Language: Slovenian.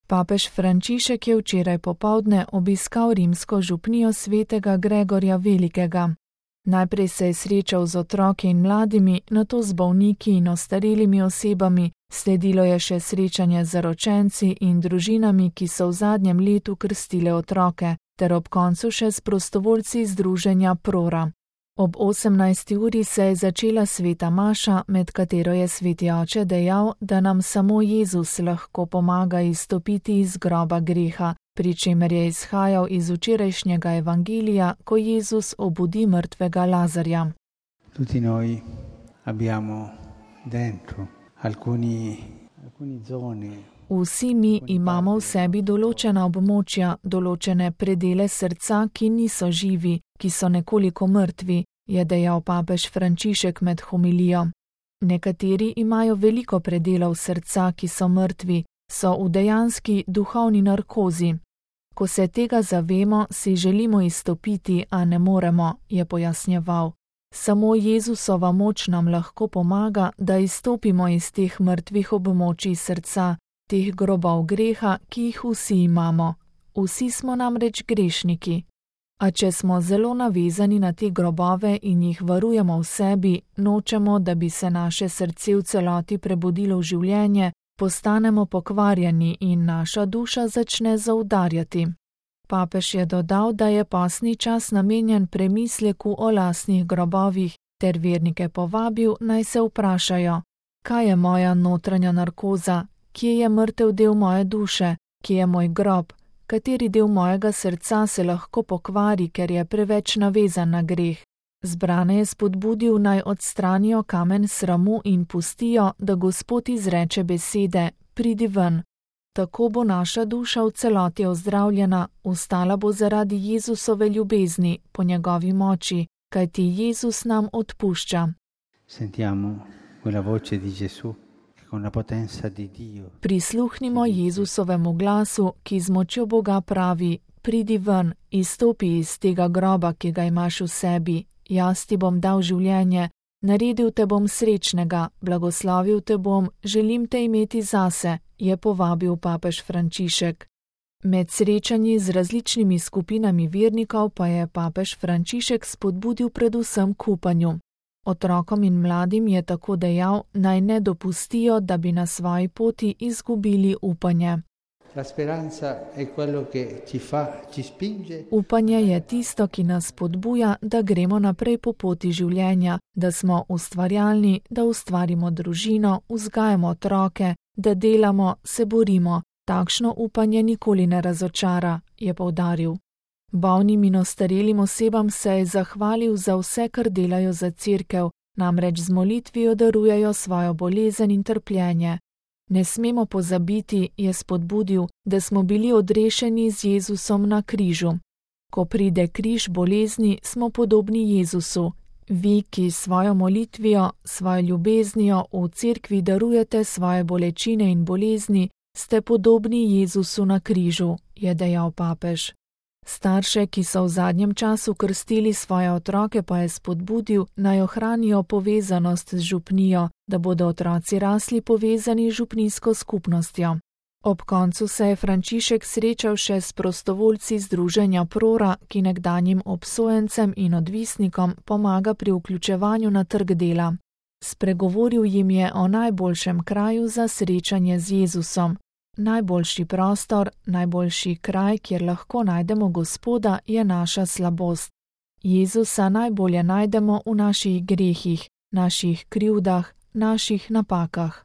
Papež Frančišek je včeraj popoldne obiskal rimsko župnijo svetega Gregorja Velikega. Najprej se je srečal z otroki in mladimi, nato z bolniki in ostarelimi osebami, sledilo je še srečanje z zaročenci in družinami, ki so v zadnjem letu krstile otroke, ter ob koncu še s prostovoljci združenja Prora. Ob 18. uri se je začela sveta maša, med katero je sveti oče dejal, da nam samo Jezus lahko pomaga izstopiti iz groba greha, pri čemer je izhajal iz včerajšnjega evangelija, ko Jezus obudi mrtvega Lazarja. Tutti noi abbiamo dentro alcune zone. Vsi mi imamo v sebi določena območja, določene predele srca, ki niso živi, ki so nekoliko mrtvi, je dejal papež Frančišek med homilijo. Nekateri imajo veliko predelov srca, ki so mrtvi, so v dejanski duhovni narkozi. Ko se tega zavemo, si želimo izstopiti, a ne moremo, je pojasnjeval. Samo Jezusova moč nam lahko pomaga, da izstopimo iz teh mrtvih območij srca, teh grobov greha, ki jih vsi imamo. Vsi smo namreč grešniki. A če smo zelo navezani na te grobove in jih varujemo v sebi, nočemo, da bi se naše srce v celoti prebudilo v življenje, postanemo pokvarjeni in naša duša začne zaudarjati. Papež je dodal, da je postni čas namenjen premisleku o lastnih grobovih, ter vernike povabil, naj se vprašajo, kaj je moja notranja narkoza, kje je mrtev del moje duše, kje je moj grob, kateri del mojega srca se lahko pokvari, ker je preveč navezan na greh. Zbrane je spodbudil, naj odstranijo kamen sramu in pustijo, da Gospod izreče besede, pridi ven. Tako bo naša duša v celoti ozdravljena, ustala bo zaradi Jezusove ljubezni, po njegovi moči, kajti Jezus nam odpušča. Sentiamo quella voce di Gesù con la potenza di Dio. Prisluhnimo Jezusovemu glasu, ki z močjo Boga pravi, pridi ven, izstopi iz tega groba, ki ga imaš v sebi, jaz ti bom dal življenje, naredil te bom srečnega, blagoslovil te bom, želim te imeti zase, je povabil papež Frančišek. Med srečanji z različnimi skupinami vernikov pa je papež Frančišek spodbudil predvsem k upanju. Otrokom in mladim je tako dejal, naj ne dopustijo, da bi na svoji poti izgubili upanje. Upanje je tisto, ki nas spodbuja, da gremo naprej po poti življenja, da smo ustvarjalni, da ustvarimo družino, vzgajamo otroke, da delamo, se borimo. Takšno upanje nikoli ne razočara, je poudaril. Bolnim in ostarelim osebam se je zahvalil za vse, kar delajo za cerkev, namreč z molitvijo darujejo svojo bolezen in trpljenje. Ne smemo pozabiti, je spodbudil, da smo bili odrešeni z Jezusom na križu. Ko pride križ bolezni, smo podobni Jezusu. Vi, ki svojo molitvijo, svojo ljubeznijo v cerkvi darujete svoje bolečine in bolezni, ste podobni Jezusu na križu, je dejal papež. Starše, ki so v zadnjem času krstili svoje otroke, pa je spodbudil, naj ohranijo povezanost z župnijo, da bodo otroci rasli povezani z župnijsko skupnostjo. Ob koncu se je Frančišek srečal še s prostovoljci združenja Prora, ki nekdanjim obsojencem in odvisnikom pomaga pri vključevanju na trg dela. Spregovoril jim je o najboljšem kraju za srečanje z Jezusom. Najboljši prostor, najboljši kraj, kjer lahko najdemo Gospoda, je naša slabost. Jezusa najbolje najdemo v naših grehih, naših krivdah, naših napakah.